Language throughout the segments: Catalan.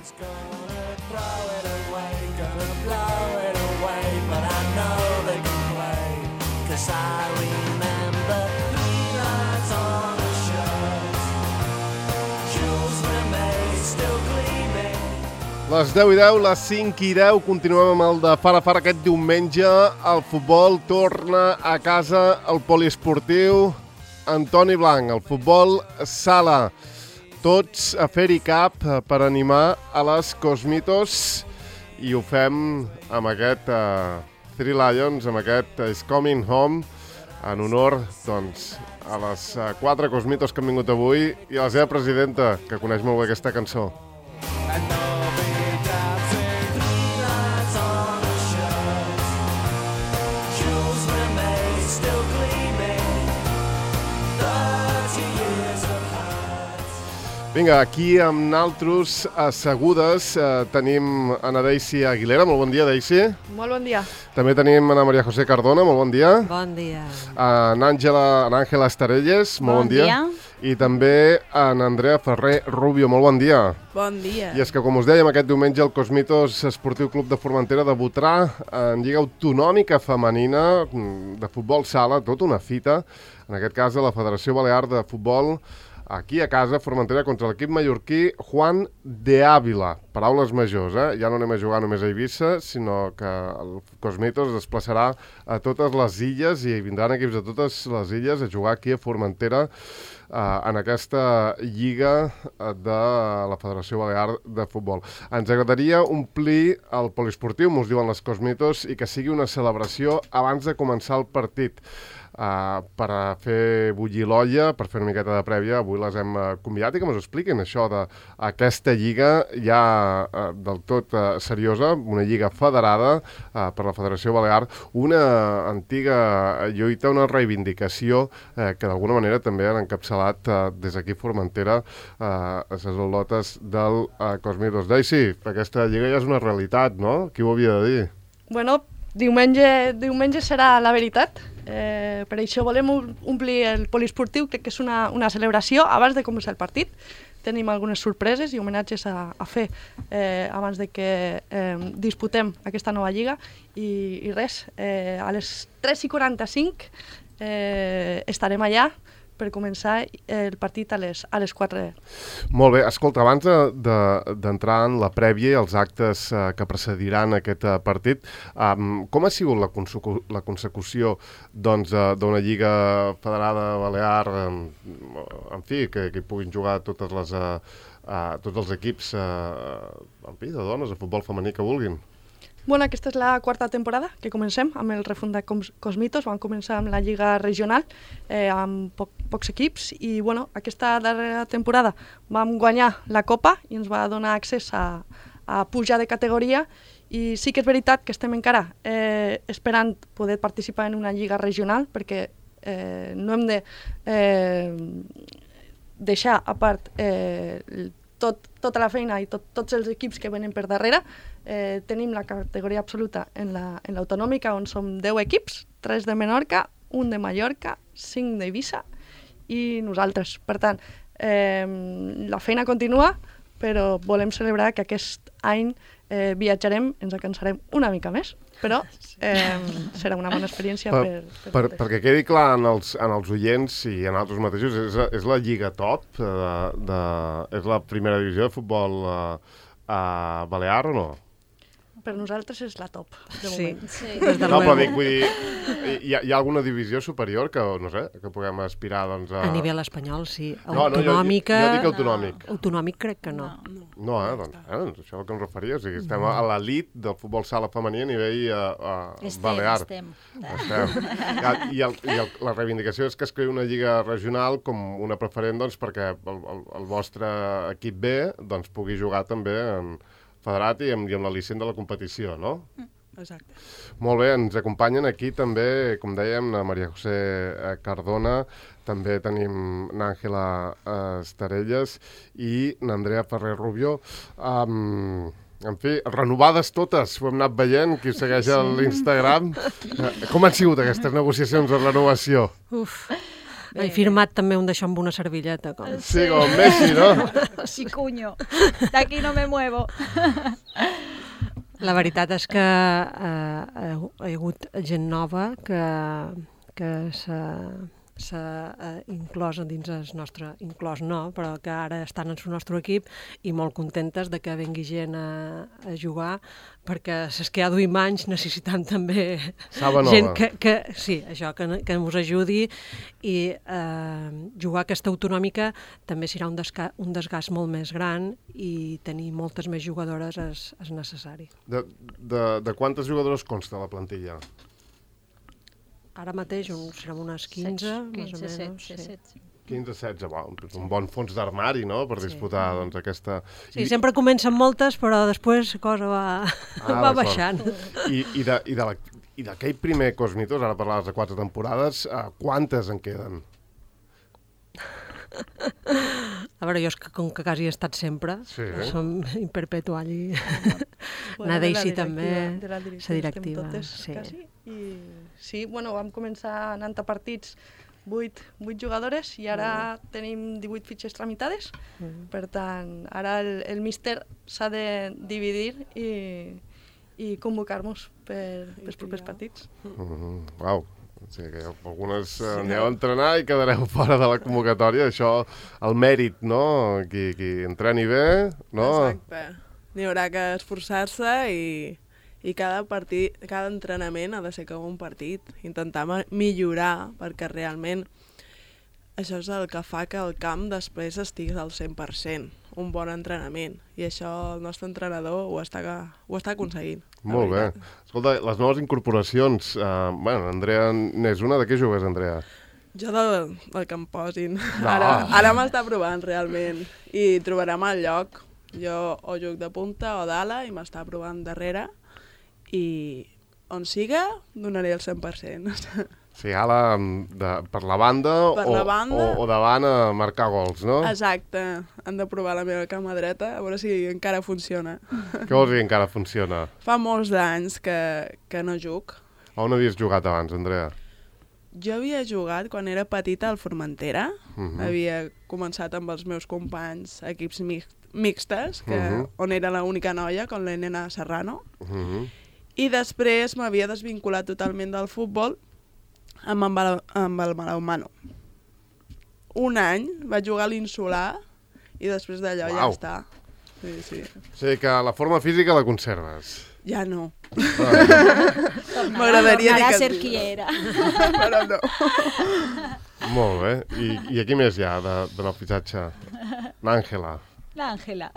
Les 10:10, les 5:10, continuem amb el de Fara Fara aquest diumenge. El futbol torna a casa al poliesportiu Antoni Blanc, el futbol sala. Tots a fer-hi cap per animar a les Cosmitos i ho fem amb aquest Three Lions, amb aquest Is Coming Home, en honor doncs, a les 4 Cosmitos que han vingut avui i a la seva presidenta, que coneix molt bé aquesta cançó. Vinga, aquí amb naltros assegudes tenim Ana Daisy Aguilera. Molt bon dia, Daisy. Molt bon dia. També tenim Ana Maria José Cardona. Molt bon dia. Bon dia. En Àngela Estarelles. Molt bon dia. I també en Andrea Ferrer Rubio. Molt bon dia. Bon dia. I és que, com us dèiem, aquest diumenge el Cosmitos Esportiu Club de Formentera debutarà en Lliga Autonòmica Femenina de futbol sala, tota una fita. En aquest cas, a la Federació Balear de Futbol, aquí a casa, Formentera, contra l'equip mallorquí Juan de Ávila. Paraules majors, Ja no anem a jugar només a Eivissa, sinó que el Cosmitos es desplaçarà a totes les illes i vindran equips de totes les illes a jugar aquí a Formentera en aquesta lliga de la Federació Balear de Futbol. Ens agradaria omplir el poliesportiu, mos diuen les Cosmitos, i que sigui una celebració abans de començar el partit. Per fer bullir l'olla, per fer una miqueta de prèvia. Avui les hem convidat i que ens expliquin això d'aquesta lliga ja del tot seriosa, una lliga federada per la Federació Balear, una antiga lluita, una reivindicació que d'alguna manera també han encapçalat des d'aquí Formentera les al·lotes del Cosmitos. Daisy, aquesta lliga ja és una realitat, no? Qui ho havia de dir? Bueno, diumenge serà la veritat. Per això volem omplir el poliesportiu. Crec que és una celebració abans de començar el partit. Tenim algunes sorpreses i homenatges a fer abans de que disputem aquesta nova lliga. I res, a les 3:45 estarem allà per començar el partit a les 4. Molt bé. Escolta, abans d'entrar en la prèvia i els actes que precediran aquest partit, com ha sigut la consecució d'una lliga federada balear, en fi, que hi puguin jugar tots els equips de dones de futbol femení que vulguin? Bueno, aquesta és la 4ª temporada que comencem amb el refundat Cosmitos. Vam començar amb la lliga regional amb pocs equips i aquesta darrera temporada vam guanyar la Copa i ens va donar accés a pujar de categoria i sí que és veritat que estem encara esperant poder participar en una lliga regional perquè no hem de deixar a part tota la feina i tots els equips que venen per darrere. Tenim la categoria absoluta en l'autonòmica, on som 10 equips, 3 de Menorca, 1 de Mallorca, 5 d'Eivissa i nosaltres. Per tant, la feina continua, però volem celebrar que aquest any viatjarem, ens cansarem una mica més, però serà una bona experiència perquè quedi clar en els oients i en altres mateixos, és la lliga top, és la primera divisió de futbol balear o no? Per nosaltres és la top, de moment. Sí. No, però dic, vull dir, hi ha alguna divisió superior que, no sé, que puguem aspirar, doncs, a nivell espanyol, sí. Autonòmica... Jo dic autonòmic. Autonòmic crec que no. No, doncs, això és el que em referia. O sigui, estem a l'elit del futbol sala femení a nivell balear. Estem. I la reivindicació és que es creï una lliga regional com una preferent, doncs, perquè el vostre equip B doncs, pugui jugar també en federat i amb l'al·licient de la competició, no? Exacte. Molt bé, ens acompanyen aquí també, com dèiem, la Maria José Cardona, també tenim n'Àngela Estarelles i n'Andrea Ferrer Rubio. En fi, renovades totes, ho hem anat veient, qui segueix a l'Instagram. Com han sigut aquestes negociacions de renovació? He firmat també un d'això amb una servilleta. Sí, com Messi, no? Sí, cuño. D'aquí no me muevo. La veritat és que hi ha hagut gent nova que s'ha inclòs dins el nostre, inclòs no, però que ara estan en el nostre equip i molt contentes de que vengui gent a jugar, perquè les que ha duim anys necessitam també gent que us ajudi, i jugar aquesta autonòmica també serà un desgast molt més gran, i tenir moltes més jugadores és necessari. De quantes jugadores consta la plantilla? Ara mateix serem unes 15, més o menys. 15-16, un bon fons d'armari, no?, per disputar aquesta... Sí, sempre comencen moltes, però després la cosa va baixant. I d'aquell primer Cosmitos, ara parlaves de 4 temporades, quantes en queden? A veure, jo com que quasi he estat sempre, som imperpetual i anar d'eixir també la directiva. Sí, vam començar anant a partits 8 jugadores i ara tenim 18 fitxes tramitades. Per tant, ara el míster s'ha de dividir i convocar-nos pels propers partits. Uau! O sigui que algunes aneu a entrenar i quedareu fora de la convocatòria. Això, el mèrit, no? Qui entreni bé, no? Exacte. N'hi haurà que esforçar-se i cada entrenament ha de ser com un partit. Intentar millorar, perquè realment això és el que fa que el camp després estiguis al 100%. Un bon entrenament. I això el nostre entrenador ho està aconseguint. Molt bé. Escolta, les noves incorporacions, Andrea n'és una. De què jugues, Andrea? Jo del que em posin. Ara m'està provant, realment. I trobarem el lloc. Jo o juc de punta o d'ala i m'està provant darrere. I on siga, donaré el 100%. Sí, ala per la banda o davant a marcar gols, no? Exacte. Han de provar la meva cama dreta, a veure si encara funciona. Què vols dir encara funciona? Fa molts d'anys que no juc. On havies jugat abans, Andrea? Jo havia jugat quan era petita al Formentera. Havia començat amb els meus companys equips mixtes, on era l'única noia, com la Nena Serrano. I després m'havia desvinculat totalment del futbol amb el Balonmano. Un any vaig jugar a l'Insular i després d'allò ja està. Sí. O sigui que la forma física la conserves. Ja no. M'agradaria dir que ser qui era. Però no. Molt bé. I aquí més hi ha de nou fitxatge? L'Àngela. L'Àngela.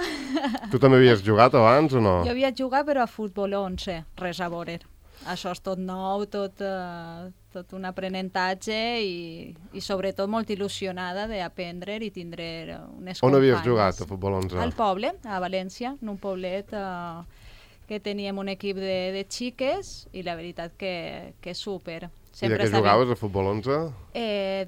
Tu també havies jugat abans o no? Jo havia jugat però a futbol 11, res a veure. Això és tot nou, tot un aprenentatge i sobretot molt il·lusionada d'aprendre i tindre unes companyes. On havies jugat a futbol 11? Al poble, a València, en un poblet que teníem un equip de xiques i la veritat que súper. I de què jugaves a futbol 11?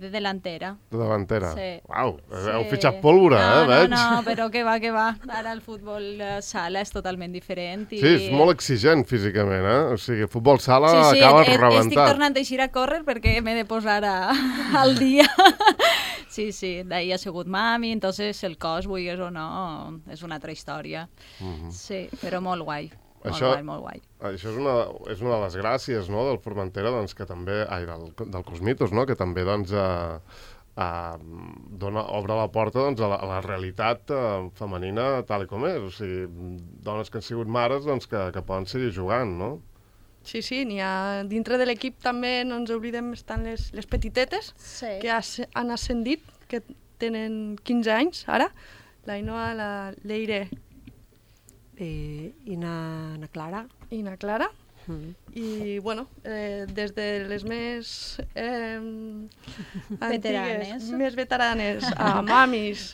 De delantera. De davantera? Sí. Uau, heu fitxat pólvora, veig? No, però què va. Ara el futbol sala és totalment diferent. Sí, és molt exigent físicament, o sigui, futbol sala acabes rebentat. Estic tornant a eixir a córrer perquè m'he de posar al dia. Sí, d'ahir ha sigut mami, entonces el cos, vulguis o no, és una altra història. Sí, però molt guai. Molt guai. Això és una de les gràcies, no?, del Formentera, doncs, que també, del Cosmitos, no?, que també doncs, obre la porta doncs, a la realitat femenina tal com és. O sigui, dones que han sigut mares doncs, que poden seguir jugant, no? Sí, n'hi ha. Dintre de l'equip també no ens oblidem, estan les petitetes, que han ascendit, que tenen 15 anys ara. L'Ainoa, la Leire i na Clara. I na Clara. I, bueno, des de les més veteranes, a mamis,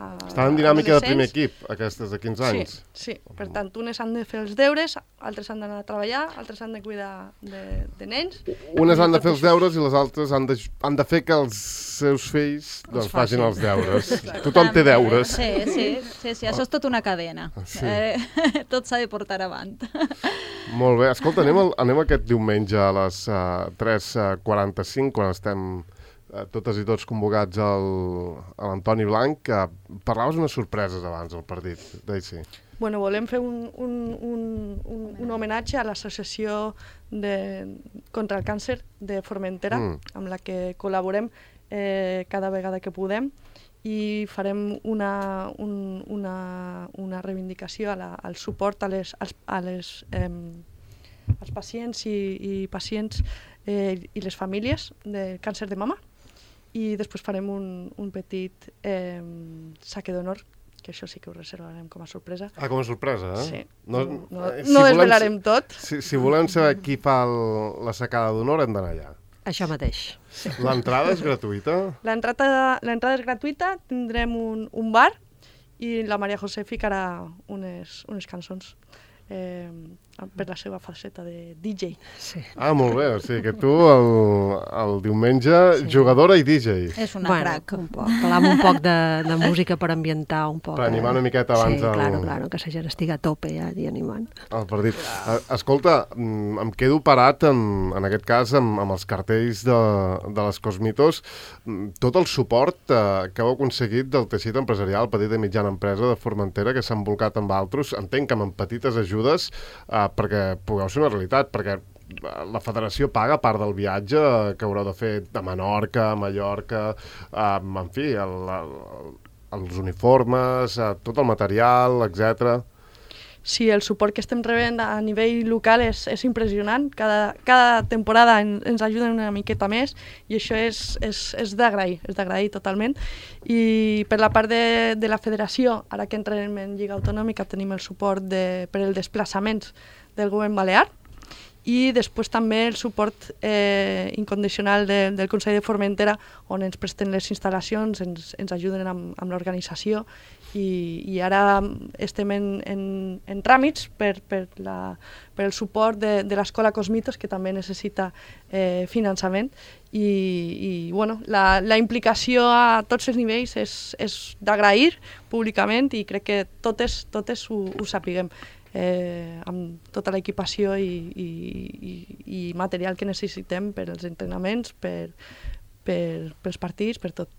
estan en dinàmica de primer equip, aquestes de 15 anys. Sí. Per tant, unes han de fer els deures, altres han d'anar a treballar, altres han de cuidar de nens. Unes han de fer els deures i les altres han de fer que els seus fills doncs, facin els deures. Tothom té deures. Sí, això és tota una cadena. Tot s'ha de portar avant. Molt bé. Escolta, anem aquest diumenge a les 3:45, quan estem totes i tots convocats a l'Antoni Blanc, que parlaves unes sorpreses abans del partit, Daisy. Bueno, volem fer un homenatge a l'associació contra el càncer de Formentera, amb la que col·laborem cada vegada que podem, i farem una reivindicació al suport als pacients i pacients i les famílies de càncer de mama, i després farem un petit saque d'honor, que això sí que ho reservarem com a sorpresa. Com a sorpresa, eh? Sí. No desvelarem tot. Si volem saber qui fa la sacada d'honor, hem d'anar allà. Això mateix. Sí. L'entrada és gratuïta? L'entrada és gratuïta, tindrem un bar i la Maria José ficarà unes cançons per la seva faceta de DJ. Sí. Molt bé, o sigui que tu el diumenge, jugadora i DJ. És una crac. Un poc. Parlam un poc de música per ambientar un poc. Per animar una miqueta abans Sí, claro, que la gent estigui a tope ja i animant. El partit. Escolta, em quedo parat en aquest cas amb els cartells de les Cosmitos. Tot el suport que heu aconseguit del teixit empresarial, petita i mitjana empresa de Formentera, que s'han volcat amb altres, entenc que amb petites ajudes, perquè pugueu ser una realitat, perquè la federació paga part del viatge que haureu de fer a Menorca, a Mallorca, en fi, els uniformes, tot el material, etc. Sí, el suport que estem rebent a nivell local és impressionant. Cada temporada ens ajuden una miqueta més i això és d'agrair totalment. I per la part de la federació, ara que entrem en Lliga Autonòmica, tenim el suport per als desplaçaments del govern balear, i després també el suport incondicional del Consell de Formentera, on ens presten les instal·lacions, ens ajuden amb l'organització, i ara estem en tràmits per el suport de l'Escola Cosmitos, que també necessita finançament, i bueno, la implicació a tots els nivells és d'agrair públicament, i crec que totes ho sapiguem. Amb tota l'equipació i material que necessitem per als entrenaments, pels partits, per tot.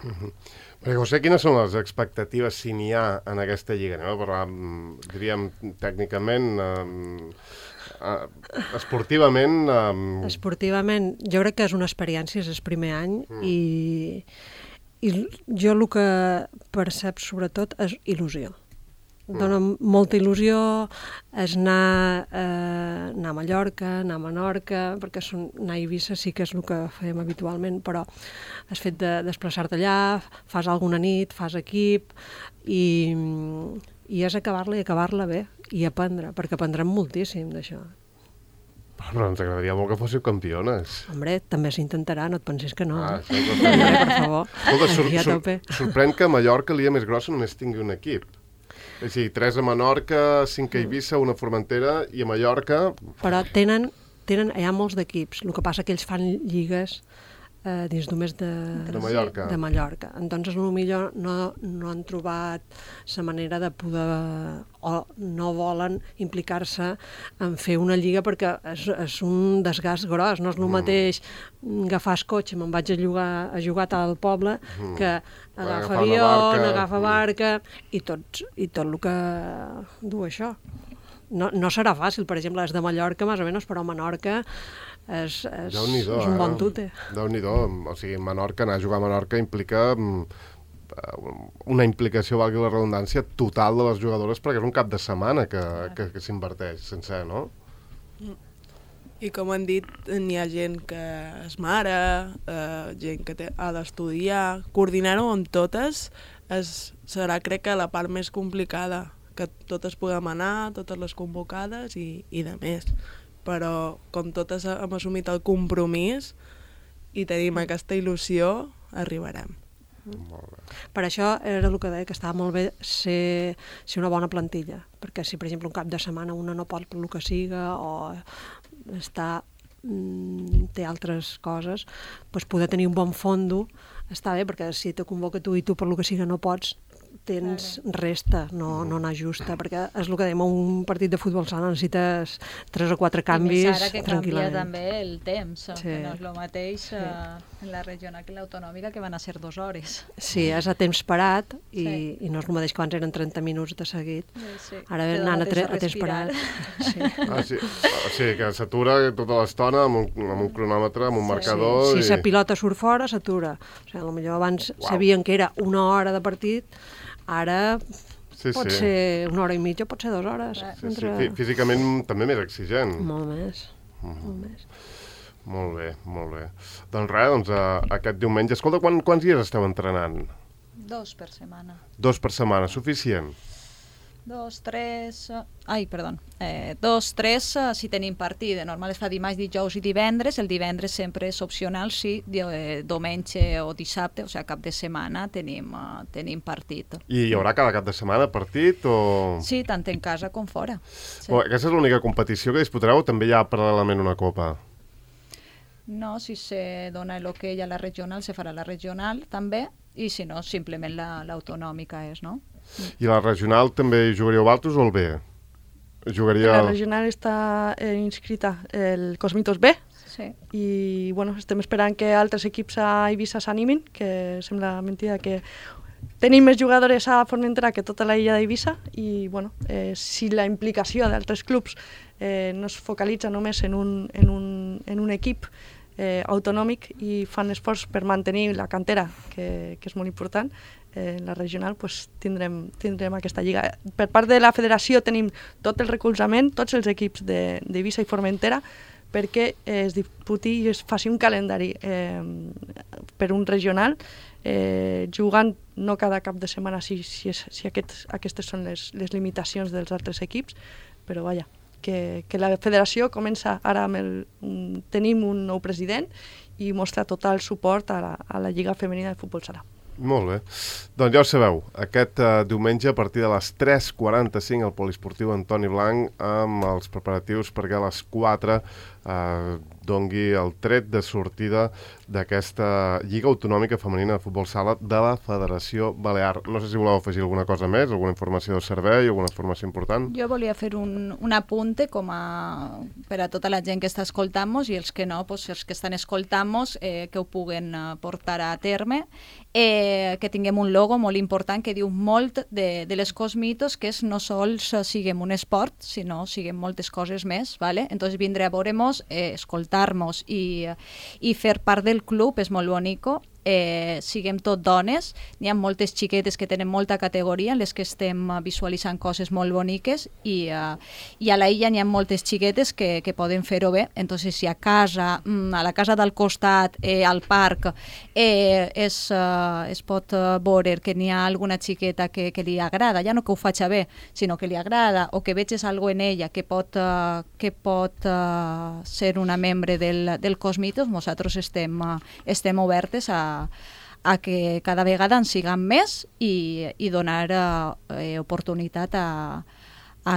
Maria José, quines són les expectatives, si n'hi ha, en aquesta lliga? Anem a parlar, diríem, tècnicament, esportivament... Esportivament, jo crec que és una experiència, és el primer any, i jo el que percep sobretot és il·lusió. Dóna molta il·lusió anar a Mallorca, anar a Menorca, perquè anar a Eivissa sí que és el que fem habitualment, però has fet de desplaçar-te allà, fas alguna nit, fas equip, i és acabar-la i acabar-la bé, i aprendre, perquè aprendrem moltíssim d'això. Però ens agradaria molt que fóssiu campiones. Hombre, també s'intentarà, no et pensis que no. Hombre, per favor. Escolta, sorprèn que a Mallorca, l'illa més grossa, només tingui un equip. És a dir, 3 a Menorca, 5 a Eivissa, 1 a Formentera, i a Mallorca... Però hi ha molts d'equips, el que passa que ells fan lligues dins només de Mallorca. Entonces, potser no han trobat la manera de poder, o no volen implicar-se en fer una lliga, perquè és un desgast gros. No és el mateix agafar el cotxe, me'n vaig a jugar al poble, que agafar avió, agafar barca, i tot el que du això. No serà fàcil, per exemple, les de Mallorca, més o menys, però a Menorca és un bon tute. Déu-n'hi-do, o sigui, Menorca, anar a jugar a Menorca implica una implicació, valgui la redundància, total de les jugadores, perquè és un cap de setmana que s'inverteix sencer, no? I com han dit, n'hi ha gent que és mare, gent que ha d'estudiar, coordinar-ho amb totes serà, crec que, la part més complicada, que totes podem anar, totes les convocades i de més. Però com totes hem assumit el compromís i tenim aquesta il·lusió, arribarem. Per això era el que deia, que estava molt bé ser una bona plantilla, perquè si, per exemple, un cap de setmana una no pot per el que siga o té altres coses, doncs poder tenir un bon fondo està bé, perquè si te convoca tu i tu per el que siga no pots, tens resta, no n'ajusta, perquè és el que dèiem, un partit de futbol sala necessites 3 o 4 canvis I més ara que canvia tranquil·lament. també el temps, Sí. que no és el mateix en la regional que en l'autonòmica, que van a ser 2 hores. Sí, és a temps parat Sí. i no és el mateix que abans eren 30 minuts de seguit. Sí. Ara Te anant dona a temps temps respirar. parat. Sí. Sí. O sigui, que s'atura tota l'estona amb un cronòmetre, amb un marcador... Si la pilota surt fora, s'atura. O sigui, potser abans sabien que era 1 hora de partit, ara pot ser 1 hora i mitja, pot ser 2 hores. Sí. Físicament també més exigent. Molt més. Molt més. Molt bé, molt bé. Doncs res, aquest diumenge... Escolta, quants dies esteu entrenant? 2 per setmana. 2 per setmana, suficient? 2, 3... Ai, perdó. 2, 3 si tenim partit. De normal es fa dimarts, dijous i divendres. El divendres sempre és opcional si diumenge o dissabte, o sigui, cap de setmana tenim partit. I hi haurà cada cap de setmana partit o...? Sí, tant en casa com fora. Sí. Aquesta és l'única competició que disputareu o també hi ha paral·lelament una copa? No, si se dona l'hoquei a la regional, se farà la regional també, i si no, simplement l'autonòmica és, no? I la regional també hi jugaríeu altres o el B? La regional està inscrita el Cosmitos B, sí. I bueno, estem esperant que altres equips a Eivissa s'animin, que sembla mentida que tenim més jugadores a Formentera que tota la illa d'Eivissa i bueno, si la implicació d'altres clubs no es focalitza només en un equip autonòmic i fan esforç per mantenir la cantera, que és molt important, en la regional pues, tindrem aquesta lliga. Per part de la federació tenim tot el recolzament, tots els equips d'Eivissa i Formentera, perquè es disputi i es faci un calendari per un regional, jugant no cada cap de setmana si aquestes són les limitacions dels altres equips, però vaja, que la federació comença ara tenim un nou president i mostra total suport a la Lliga Femenina de Futbol Sala. Molt bé. Doncs ja ho sabeu, aquest diumenge a partir de les 3:45 al Poliesportiu Antoni Blanc amb els preparatius perquè a les 4 dongui el tret de sortida d'aquesta Lliga Autonòmica Femenina de Futbol Sala de la Federació Balear. No sé si voleu afegir alguna cosa més, alguna informació de servei, alguna informació important. Jo volia fer un apunte per a tota la gent que està escoltant-nos i els que no, doncs, els que estan escoltant-nos que ho puguen portar a terme, que tinguem un logo molt important que diu molt de les Cosmitos, que és no sols siguem un esport, sinó siguem moltes coses més, ¿vale? Entonces vindre a veure-nos, escoltar-nos i fer part del club és molt bonico. Siguem tot dones, n'hi ha moltes xiquetes que tenen molta categoria en les que estem visualitzant coses molt boniques i a la illa n'hi ha moltes xiquetes que poden fer-ho bé, entonces si a casa, a la casa del costat, al parc es pot veure que n'hi ha alguna xiqueta que li agrada, ja no que ho faig bé, sinó que li agrada o que veges alguna en ella que pot ser una membre del Cosmitos, nosaltres estem obertes a que cada vegada en siguem més i donar oportunitat a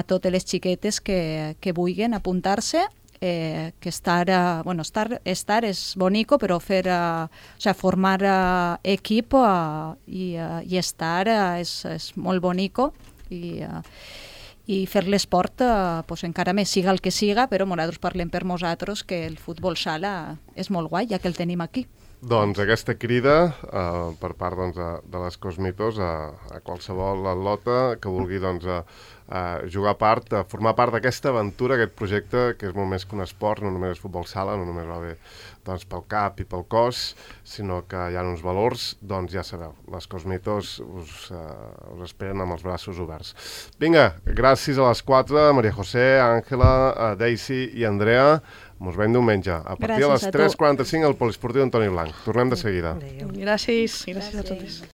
totes les xiquetes que vulguin apuntar-se, que estar és bonico, però formar equip i estar és molt bonico i fer l'esport encara més siga el que siga, però nosaltres parlem per nosaltres que el futbol sala és molt guai, ja que el tenim aquí. Doncs aquesta crida per part de les Cosmitos a qualsevol atleta que vulgui jugar part, formar part d'aquesta aventura, aquest projecte que és molt més que un esport, no només és futbol sala, no només va bé pel cap i pel cos, sinó que hi ha uns valors, doncs ja sabeu, les Cosmitos us esperen amb els braços oberts. Vinga, gràcies a les 4, Maria José, Àngela, Daisy i Andrea. Mos veiem diumenge, a partir de les 3:45 al Poliesportiu Antoni Blanc. Tornem de seguida. Gràcies a totes.